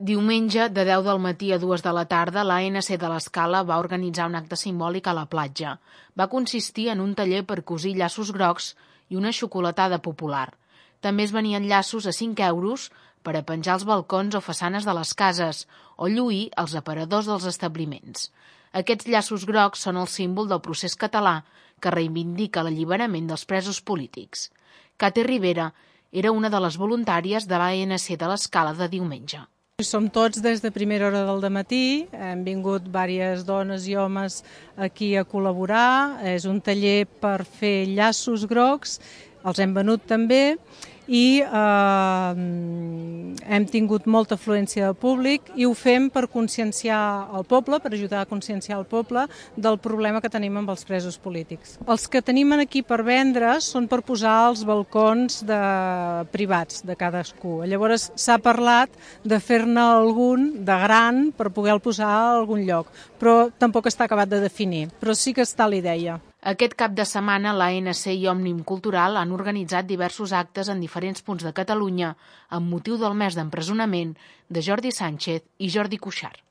Diumenge, de 10 del matí a 2 de la tarda, l'ANC de l'Escala va organitzar un acte simbòlic a la platja. Va consistir en un taller per cosir llaços grocs i una xocolatada popular. També es venien llaços a 5 euros per a penjar als balcons o façanes de les cases o lluir als aparadors dels establiments. Aquests llaços grocs són el símbol del procés català que reivindica l'alliberament dels presos polítics. Kate Rivera era una de les voluntàries de l'ANC de l'Escala de diumenge. Som tots des de primera hora del matí, hem vingut diverses dones i homes aquí a col·laborar, és un taller per fer llaços grocs, els hem venut també i hem tingut molta afluència de públic i ho fem per conscienciar el poble, per ajudar a conscienciar el poble del problema que tenim amb els presos polítics. Els que tenim aquí per vendre són per posar als balcons privats de cadascú. Llavors s'ha parlat de fer-ne algun de gran per poder-lo posar a algun lloc, però tampoc està acabat de definir, però sí que està la idea. Aquest cap de setmana, l'ANC i Òmnium Cultural han organitzat diversos actes en diferents punts de Catalunya amb motiu del mes d'empresonament de Jordi Sánchez i Jordi Cuixart.